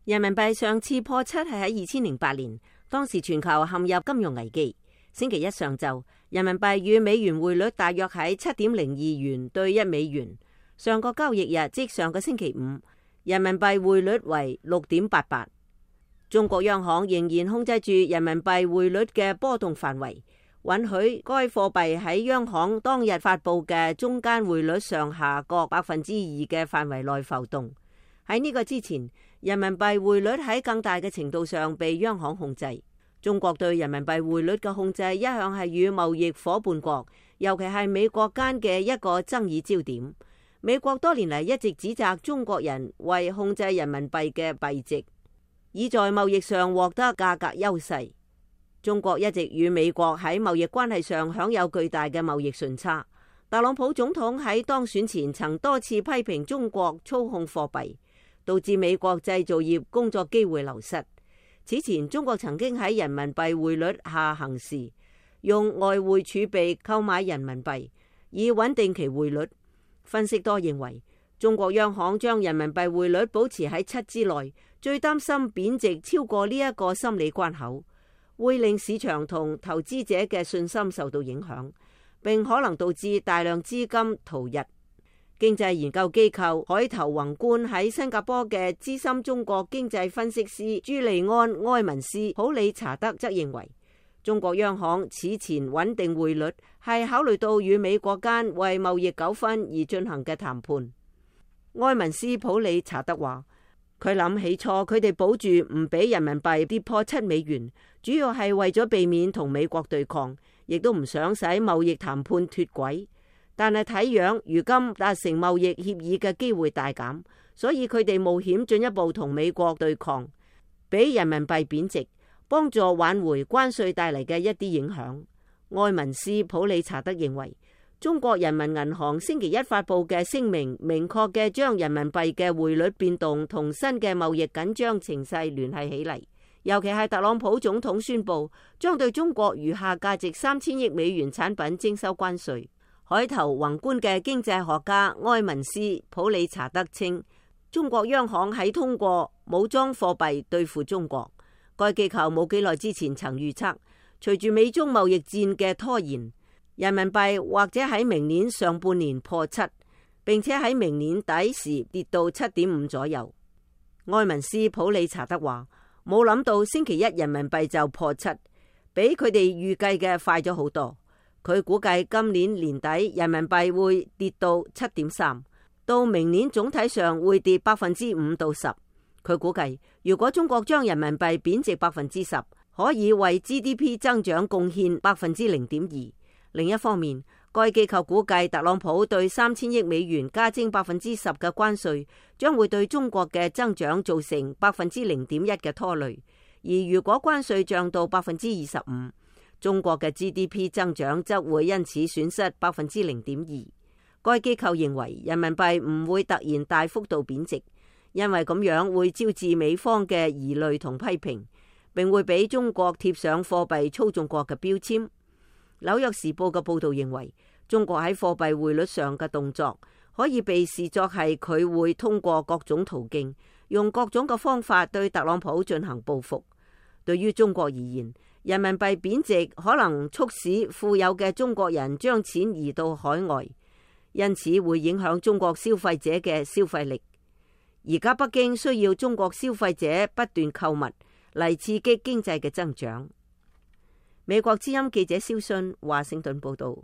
人民幣上次破七係喺2008年，當時全球陷入金融危機。星期一上晝，人民幣與美元匯率大約喺7.02元對1美元。上個交易日，即上個星期五，人民幣匯率為6.88。中國央行仍然控制住人民幣匯率嘅波動範圍，允許該貨幣喺央行當日發佈嘅中間匯率上下各2%嘅範圍內浮動。喺呢個之前，人民幣匯率喺更大嘅程度上被央行控制。中國對人民幣匯率嘅控制一向係與貿易夥伴國，尤其係美國間嘅一個爭議焦點。美國多年嚟一直指責中國人為控制人民幣嘅幣值，以在貿易上獲得價格優勢。中國一直與美國喺貿易關係上享有巨大嘅貿易順差。特朗普總統喺當選前曾多次批評中國操控貨幣，導致美國製造業工作機會流失。此前，中國曾經喺人民幣匯率下行時，用外匯儲備購買人民幣，以穩定其匯率。分析多認為，中國央行將人民幣匯率保持喺7之內，最擔心貶值超過呢一個心理關口，會令市場同投資者嘅信心受到影響，並可能導致大量資金逃逸。經濟研究機構海投宏觀喺新加坡嘅資深中國經濟分析師朱利安·埃文斯普里查德則認為，中國央行此前穩定匯率係考慮到與美國間為貿易糾紛而進行嘅談判。埃文斯普里查德話，佢諗起初佢哋保住唔俾人民幣跌破7美元，主要係為咗避免同美國對抗，亦都唔想使貿易談判脫軌。但係睇樣，如今達成貿易協議嘅機會大減，所以佢哋冒險進一步同美國對抗，俾人民幣貶值，幫助挽回關稅帶嚟嘅一啲影響。埃文斯普里查德認為，中國人民銀行星期一發佈嘅聲明，明確嘅將人民幣嘅匯率變動同新嘅貿易緊張情勢聯繫起嚟。尤其係特朗普總統宣布將對中國餘下價值3000億美元產品徵收關稅。海投宏觀嘅經濟學家埃文斯普里查德稱，中國央行喺通過武裝貨幣對付中國。該機構冇幾耐之前曾預測，隨住美中貿易戰嘅拖延，人民幣或者喺明年上半年破7，並且喺明年底時跌到7.5左右。埃文斯普里查德話，冇諗到星期一人民幣就破7，比佢哋預計嘅快咗好多。佢估計今年年底人民幣會跌到7.3，到明年總體上會跌5%到10%。佢估計，如果中國將人民幣貶值10%，可以為 GDP 增長貢獻0.2%。另一方面，該機構估計特朗普對3000億美元加徵10%嘅關稅，將會對中國嘅增長造成0.1%嘅拖累。而如果關稅漲到25%，中國嘅 GDP 增長則會因此損失0.2%。該機構認為人民幣唔會突然大幅度貶值，因為咁樣會招致美方嘅疑慮同批評，並會俾中國貼上貨幣操縱國嘅標籤。紐約時報嘅報導認為，中國喺貨幣匯率上嘅動作可以被視作係佢會通過各種途徑，用各種嘅方法對特朗普進行報復。對於中國而言，人民幣貶值可能促使富有嘅中國人將錢移到海外，因此會影響中國消費者嘅消費力。而家北京需要中國消費者不斷購物嚟刺激經濟嘅增長。美國之音記者蕭信華盛頓報道。